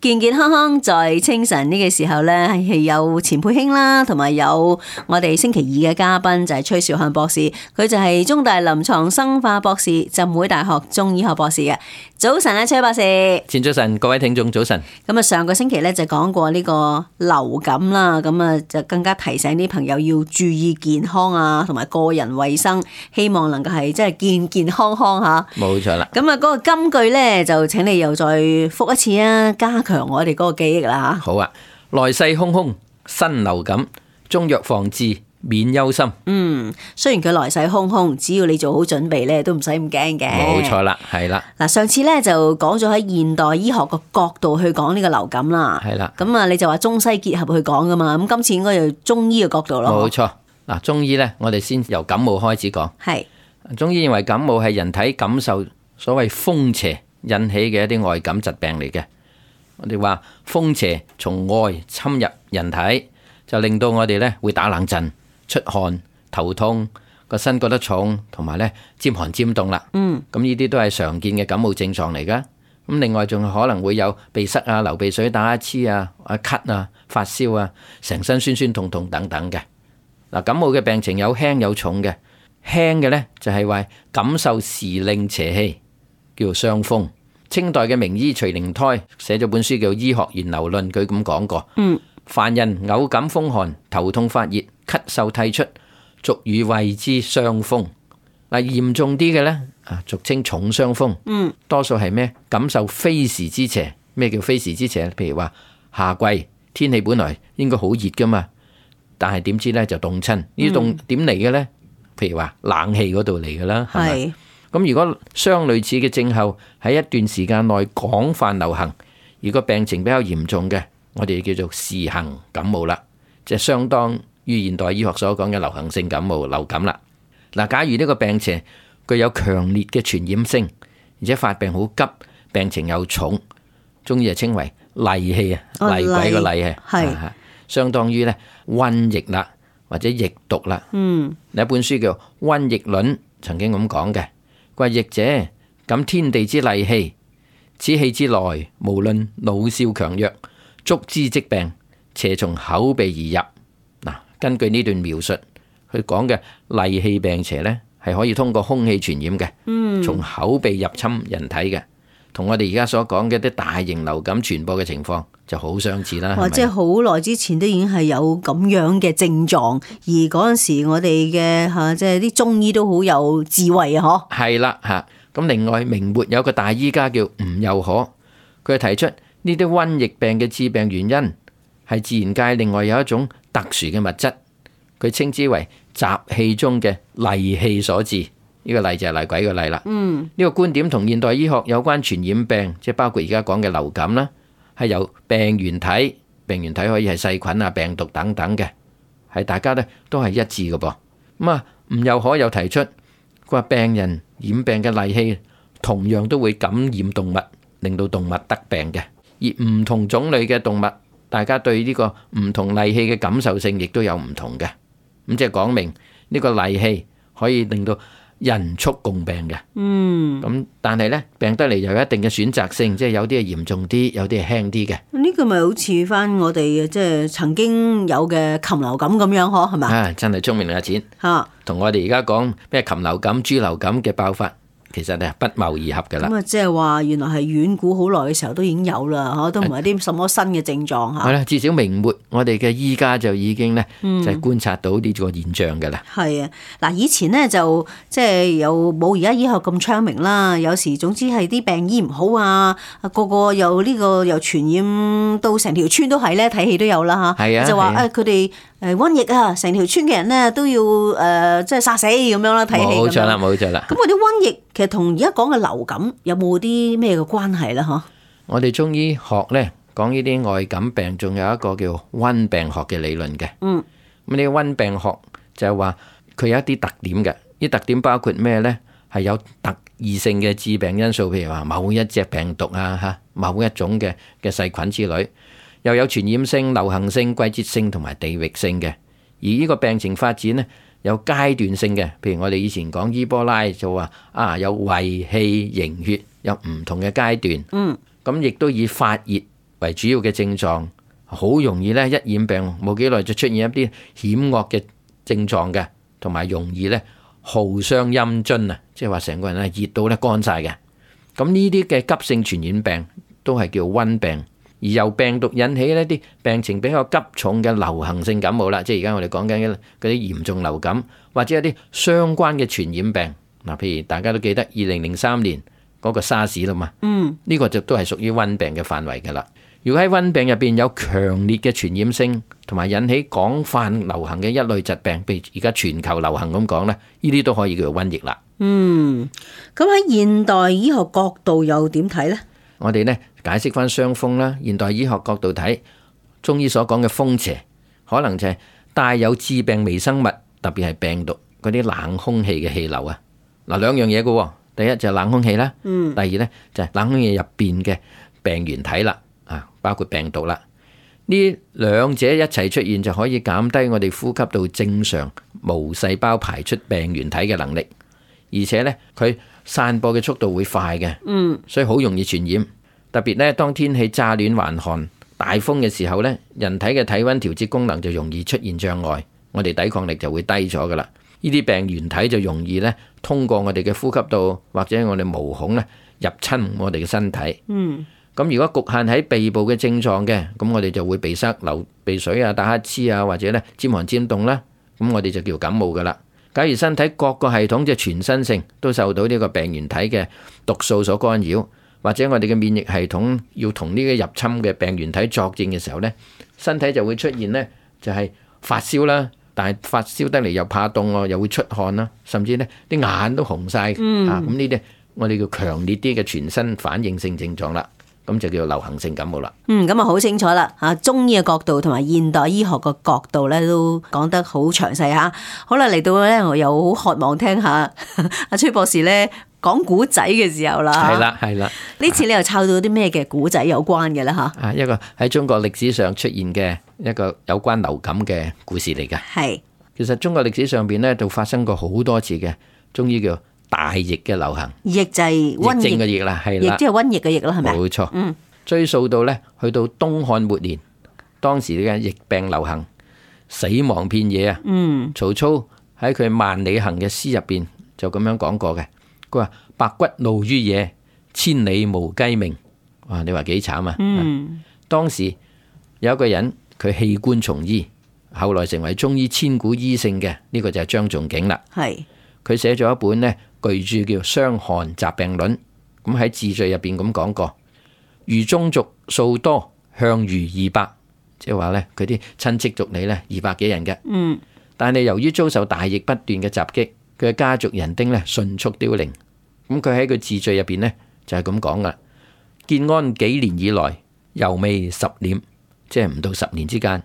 健健康康在清晨呢個時候呢，係有錢佩卿啦，同埋有我哋星期二嘅嘉賓就係崔兆漢博士，佢就係中大臨床生化博士、浸會大學中醫學博士嘅。早晨啊，崔博士。前早晨，各位聽眾早晨。咁啊，上個星期咧就講過呢個流感啦，咁啊就更加提醒啲朋友要注意健康啊，同埋個人衛生，希望能夠係即係健健康康吓。冇錯啦。咁啊，嗰個金句咧就請你又再複一次啊，加強我哋嗰個記憶啦吓。好啊，來勢洶洶，新流感，中藥防治，免憂心。雖然佢來勢洶洶，只要你做好準備咧，都唔使咁驚嘅。冇錯啦，係啦。嗱，上次咧就講咗喺現代醫學個角度去講呢個流感啦。係啦。咁啊，你就話中西結合去講噶嘛？咁今次應該要中醫嘅角度咯。冇錯。嗱，中醫咧，我哋先由感冒開始講。係。中醫認為感冒係人體感受所謂風邪引起嘅一啲外感疾病嚟嘅。我哋話風邪從外侵入人體，就令到我哋咧會打冷震、出汗、頭痛、個身覺得重，同埋咧沾寒沾凍啦。咁呢啲都係常見嘅感冒症狀嚟噶。咁另外仲可能會有鼻塞啊、流鼻水、打乞嗤啊、咳啊、發燒啊、成身酸酸痛痛等等嘅。嗱，感冒嘅病情有輕有重嘅。輕嘅咧就係話感受時令邪氣，叫做傷風。清代嘅名醫徐靈胎寫咗本書叫《醫學源流論》，佢咁講過。凡人偶感風寒、頭痛發熱、咳嗽涕出，俗語謂之傷風。嗱，嚴重啲嘅呢，俗稱重傷風。多數係咩？感受非時之邪。咩叫非時之邪？譬如話夏季天氣本來應該好熱噶嘛，但係點知呢就凍親。呢啲凍點嚟嘅呢？譬如話冷氣嗰度嚟噶啦，係咪？咁如果相類似嘅症候喺一段時間內廣泛流行，如果病情比較嚴重嘅，我哋叫做時行感冒啦，即係相當於現代醫學所講嘅流行性感冒、流感啦。嗱，假如呢個病邪具有強烈嘅傳染性，而且發病好急，病情又重，中醫就稱為厲氣啊，厲鬼個厲啊，係相當於咧瘟疫啦，或者疫毒啦。有一本書叫《瘟疫論》，曾經咁講嘅。佢話疫者感天地之厲氣，此氣之來，無論老少強弱，觸之即病，邪從口鼻而入。嗱，根據呢段描述，佢講嘅厲氣病邪呢，係可以通過空氣傳染嘅，從口鼻入侵人體嘅，同我哋而家所講嘅啲大型流感傳播嘅情況就好相似啦。即係好耐之前都已經係有咁樣嘅症狀，而嗰陣時我哋嘅即係啲中醫都好有智慧啊！嗬，係啦嚇。咁另外明末有個大醫家叫吳又可，佢提出呢啲瘟疫病嘅致病原因係自然界另外有一種特殊嘅物質，佢稱之為雜氣中嘅厲氣所致。呢個厲就係厲鬼嘅厲啦。呢個觀點同現代醫學有關傳染病，即係包括而家講嘅流感啦，係由病原體可以係細菌啊、病毒等等嘅，係大家咧都係一致嘅噃。咁啊，吳又可有提出，佢話病人染病嘅厲氣同樣都會感染動物，令到動物得病嘅。而唔同種類嘅動物，大家對呢個唔同厲氣嘅感受性亦都有唔同嘅。咁即係講明呢個厲氣可以令到人畜共病嘅。咁但係咧病得嚟又有一定嘅選擇性，即係有啲係嚴重啲，有啲係輕啲嘅。呢個咪好似翻我哋即係曾經有嘅禽流感咁樣嗬，係咪？真係聰明阿錢吓，同我哋而家講咩禽流感、豬流感嘅爆發，其實係不謀而合噶啦。咁啊，即係話原來係遠古好耐嘅時候都已經有啦，嗬，都唔係啲什麼新嘅症狀吓。係啦，至少明末我哋嘅醫家就已經咧就係觀察到呢個現象噶啦。係啊，嗱，以前咧就即係有冇而家醫學咁昌明啦，有時總之係啲病醫唔好啊，個個又呢個又傳染到成條村都係咧，睇戲都有啦吓。係啊，就話佢哋瘟疫啊，成條村嘅人咧都要即係殺死咁樣啦，睇戲。冇錯啦，冇錯啦。咁嗰啲瘟疫其實同而家講嘅流感有冇啲咩嘅關係咧？嗬？我哋中醫學咧講呢啲外感病，仲有一個叫溫病學嘅理論嘅。咁呢個溫病學就係話佢有一啲特點嘅，呢特點包括咩咧？係有特異性嘅致病因素，譬如話某一隻病毒啊，某一種嘅細菌之類，又有傳染性、流行性、季節性同埋地域性嘅。而呢個病情發展呢，有階段性嘅，譬如我哋以前講伊波拉就話有胃氣營血，有唔同嘅階段。咁亦都以發熱為主要嘅症狀，好容易咧一染病冇幾耐就出現一啲險惡嘅症狀嘅，同埋容易咧耗傷陰津啊，即係話成個人咧熱到咧乾晒嘅。咁呢啲嘅急性傳染病都係叫瘟病，而由病毒引起呢啲病情比較急重嘅流行性感冒啦，即係而家我哋講緊嘅嗰啲嚴重流感，或者一啲相關嘅傳染病嗱，譬如大家都記得2003年嗰個沙士啦嘛，呢個就都係屬於瘟病嘅範圍㗎啦。如果喺瘟病入邊有強烈嘅傳染性，同埋引起廣泛流行嘅一類疾病，譬如而家全球流行咁講咧，呢啲都可以叫做瘟疫啦。咁喺現代醫學角度又點睇呢？我哋呢解釋翻傷風啦，現代醫學角度睇，中醫所講嘅風邪，可能就係帶有致病微生物，特別係病毒嗰啲冷空氣嘅氣流啊。嗱，兩樣嘢嘅，第一就係冷空氣啦，第二呢就係冷空氣入邊嘅病原體啦，包括病毒啦。呢兩者一齊出現就可以減低我哋呼吸道正常無細胞排出病原體嘅能力，而且呢佢散播嘅速度會快嘅，所以好容易傳染。特別呢當天氣乍暖還寒、大風嘅時候呢，人體嘅體溫調節功能就容易出現障礙，我哋抵抗力就會低咗噶啦。呢啲病原體就容易呢通過我哋嘅呼吸道或者我哋毛孔呢入侵我哋嘅身體。咁如果局限喺鼻部嘅症狀嘅，咁我哋就會鼻塞、流鼻水啊、打乞嗤啊，或者咧尖寒尖凍啦，咁我哋就叫感冒噶啦。假如身體各個系統即係全身性都受到呢個病原體嘅毒素所干擾，或者我哋嘅免疫系統要同呢個入侵嘅病原體作戰嘅時候呢，身體就會出現呢就係發燒啦，但係發燒得嚟又怕凍喎，又會出汗啦，甚至呢啲眼都紅晒。咁呢啲我哋叫強烈啲嘅全身反應性症狀啦。咁就叫流行性感冒啦。咁好清楚啦。中醫嘅角度同埋現代醫學嘅角度咧，都講得好詳細嚇。好啦，嚟到咧，我又好渴望聽下阿崔博士咧講古仔嘅時候啦。係啦。呢次你又抄到啲咩嘅古仔有關嘅咧嚇？一個喺中國歷史上出現嘅一個有關流感嘅故事嚟嘅。係。其實中國歷史上邊咧，就發生過好多次嘅中醫叫大疫嘅流行，疫就係瘟疫嘅疫啦，係啦，疫即係瘟疫嘅疫啦，係咪？冇錯。追溯到咧，去到東漢末年，當時嘅疫病流行，死亡遍野啊。曹操喺佢《萬里行》嘅詩入邊就咁樣講過嘅，佢話白骨露於野，千里無雞鳴。哇！你話幾慘啊？當時有一個人，佢棄官從醫，後來成為中醫千古醫聖嘅，呢個就係張仲景啦。係。佢寫咗一本呢巨著叫《傷寒雜病論》，咁喺自序入邊咁講過，餘宗族數多，向餘200，即係話呢，佢啲親戚族裏呢200幾人嘅。但係由於遭受大疫不斷嘅襲擊，佢嘅家族人丁呢迅速凋零。咁佢喺佢自序入邊呢就係咁講噶，建安幾年以來，猶未10年，即係唔到10年之間。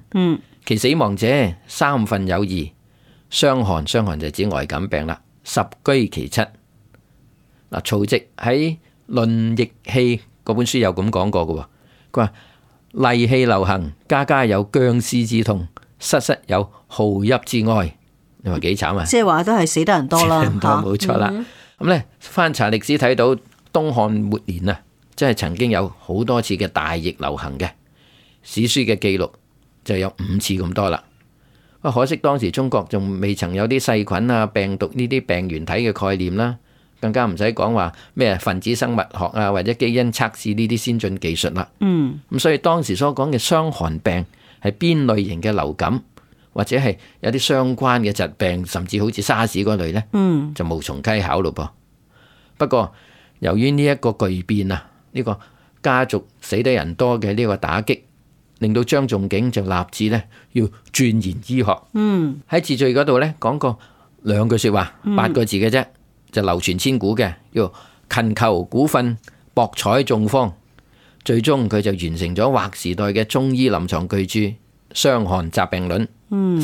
其死亡者3分有2，傷寒就指外感病啦。10居其7。嗱，曹植喺《論疫氣》嗰本書有咁講過嘅，佢話厲氣流行，家家有僵屍之痛，室室有號泣之哀。你話幾慘啊？即係話都係死得人多啦，冇錯啦。咁咧翻查歷史睇到東漢末年啊，即係曾經有好多次嘅大疫流行嘅，史書嘅記錄就有5次咁多啦。可惜當時中國仲未曾有啲細菌啊、病毒呢啲病原體嘅概念啦，更加唔使講話咩分子生物學啊或者基因測試呢啲先進技術啦。咁所以當時所講嘅傷寒病係邊類型嘅流感，或者係有啲相關嘅疾病，甚至好似沙士嗰類呢，就無從稽考咯噃。不過由於呢一個巨變啊，呢個家族死得人多嘅呢個打擊，令到張仲景就立志咧要鑽研醫學。喺自序嗰度咧講過2句說話，8個字嘅啫，就流傳千古嘅，叫勤求古訓，博採眾方。最終佢就完成咗劃時代嘅中醫臨床巨著《傷寒雜病論》，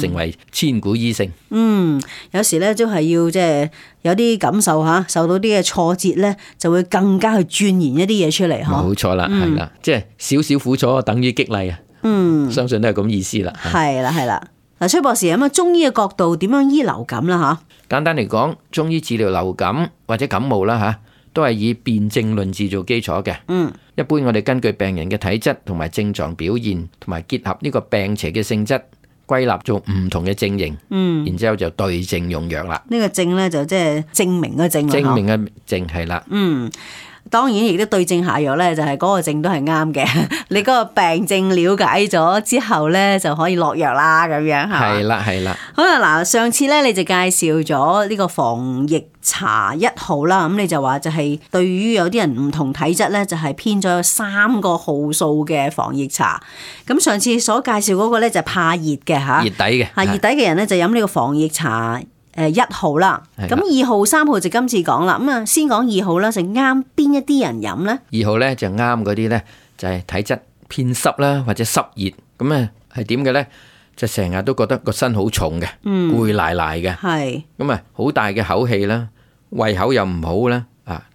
成為千古醫聖。有時咧都係要即係有啲感受吓，受到啲嘅挫折咧，就會更加去鑽研一啲嘢出嚟。冇錯啦，係啦，即係少少苦楚等於激勵啊。相信都係咁意思啦。係啦。嗱，崔博士咁啊，中醫嘅角度點樣醫流感啦？吓，簡單嚟講，中醫治療流感或者感冒啦吓，都係以辯證論治做基礎嘅。一般我哋根據病人嘅體質同埋症狀表現，同埋結合呢個病邪嘅性質，歸納做唔同嘅症型。然之後就對症用藥啦。呢個症咧就即係證明嘅症啦。證明嘅症係啦。當然亦都對症下藥咧，就係嗰個症都係啱嘅。你嗰個病症了解咗之後咧，就可以落藥啦，咁樣係啦係啦。好啦，嗱，上次咧你就介紹咗呢個防疫茶1號啦，咁你就話就係對於有啲人唔同體質咧，就係偏咗有3個號數嘅防疫茶。咁上次所介紹嗰個咧就怕熱嘅嚇，熱底嘅熱底嘅人咧就飲呢個防疫茶1號啦。咁2號、3號就今次講啦。咁啊，先講2號啦，就啱邊一啲人飲咧？2號咧就啱嗰啲咧，就係體質偏濕啦，或者濕熱。咁啊係點嘅咧？就成日都覺得個身好重嘅，攰賴賴嘅。係咁啊，好大嘅口氣啦，胃口又唔好啦，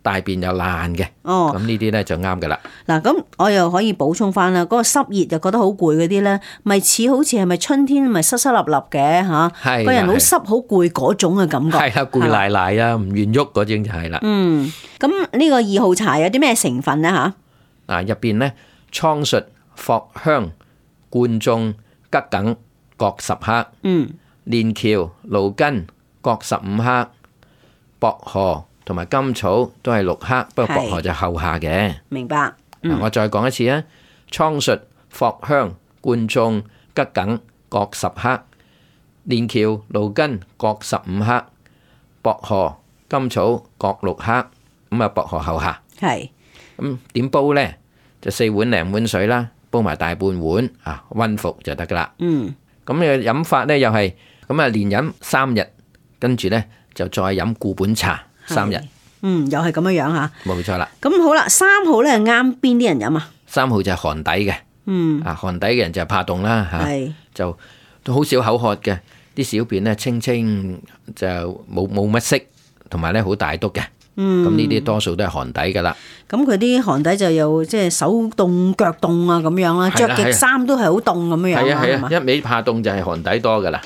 大便又爛嘅。咁呢啲咧就啱噶啦。嗱，咁我又可以補充翻啦，嗰個濕熱就覺得好攰嗰啲咧，咪似好似係咪春天咪濕濕立立嘅嚇？個人好濕好攰嗰種嘅感覺。係啊，攰賴賴啊，唔願喐嗰種就係啦。咁呢個2號茶有啲咩成分咧嚇？入邊咧蒼術、藿香、貫眾、桔梗各10克。連翹、蘆根各15克。薄荷同埋甘草都係6克，不過薄荷就後下嘅。明白。我再講一次啊，蒼術、藿香、貫眾、桔梗各10克，連翹、蘆根各15克，薄荷、甘草各6克。咁啊，薄荷後下。係。咁點煲呢？就4碗零碗水啦，煲埋大半碗溫服就得噶啦。咁嘅飲法呢，又係咁啊，連飲3日，跟住呢就再飲固本茶3日。又係咁樣樣嚇。冇錯啦。咁好啦，3號咧啱邊啲人飲啊？3號就係寒底嘅。寒底嘅人就怕凍啦嚇，就都好少口渴嘅，啲小便咧清清就冇乜色，同埋咧好大督嘅。咁呢啲多數都係寒底噶啦。咁佢啲寒底就又即係手凍腳凍啊咁樣啦，着極衫都係好凍咁樣樣。係啊，一味怕凍就係寒底多噶啦。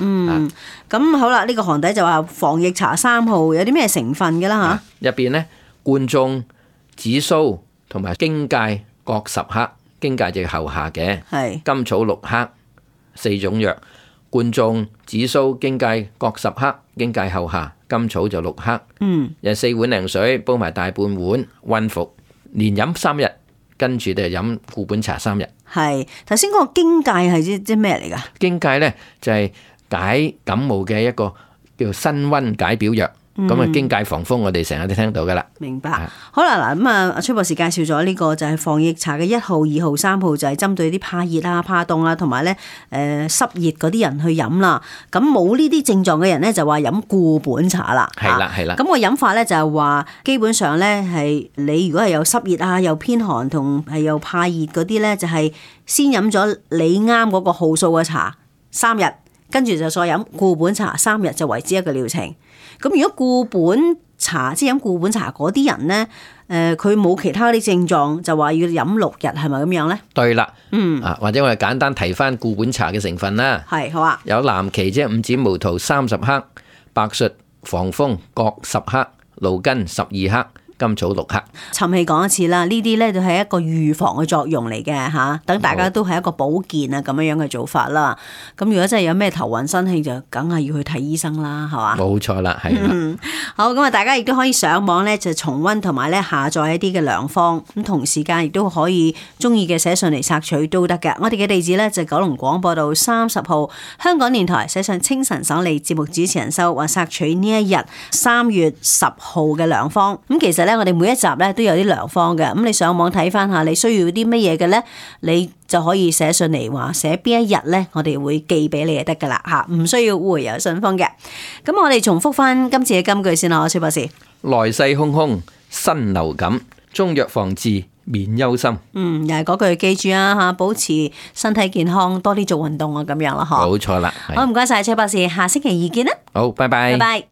咁好啦，呢個寒底就話防疫茶3號有啲咩成分嘅啦嚇？入邊咧貫眾、紫蘇同埋荊芥各10克，荊芥就係後下嘅。甘草6克，4種藥。貫眾、紫蘇、荊芥各10克，荊芥後下，甘草就6克。又4碗零水，煲埋大半碗，溫服，連飲3日，跟住就飲固本茶3日。係頭先嗰個荊芥係即咩嚟㗎？荊芥咧就係解感冒嘅一個叫辛溫解表藥。咁啊，荊芥防風，我哋成日都聽到噶啦。明白。好啦，嗱咁啊，崔博士介紹咗呢個就係防疫茶嘅1號、2號、3號，就係針對啲怕熱啊、怕凍啊，同埋咧濕熱嗰啲人去飲啦。咁冇呢啲症狀嘅人咧，就話飲固本茶啦。係啦，係啦。咁個飲法咧就係話，基本上咧係你如果係有濕熱啊、又偏寒同係又怕熱嗰啲咧，就係先飲咗你啱嗰個號數嘅茶3日，跟住就再飲固本茶3日，就為之一個療程。咁如果固本茶即係飲固本茶嗰啲人咧，佢冇其他啲症狀，就話要飲6日，係咪咁樣咧？對啦，或者我哋簡單提翻固本茶嘅成分啦。係，好啊。有藍芪即係五剪毛桃30克，白術防風各10克，蘆根12克。甘草6克。沉氣講一次啦，呢啲咧就係一個預防嘅作用嚟嘅嚇，等大家都係一個保健啊咁樣嘅做法啦。咁如果真係有咩頭暈身氣，就梗係要去睇醫生啦，係嘛？冇錯啦，係啦。好，咁啊，大家亦都可以上網咧就重溫同埋咧下載一啲嘅良方，咁同時間亦都可以中意嘅寫信嚟索取都得嘅。我哋嘅地址咧就九龍廣播道30號，香港電台寫上清晨爽利節目主持人收或索取呢一日3月10號嘅良方。咁其實我哋每一集咧都有啲良方嘅，咁你上網睇翻下，你需要啲乜嘢嘅咧，你就可以寫信嚟話寫邊一日咧，我哋會寄俾你就得噶啦嚇，唔需要回郵信封嘅。咁我哋重複翻今次嘅金句先啦，崔博士。來勢洶洶，新流感，中藥防治免憂心。又係嗰句記住啊嚇，保持身體健康，多啲做運動啊咁樣啦，嗬。冇錯啦。好，唔該晒崔博士，下星期二見啦。好，拜拜。拜拜。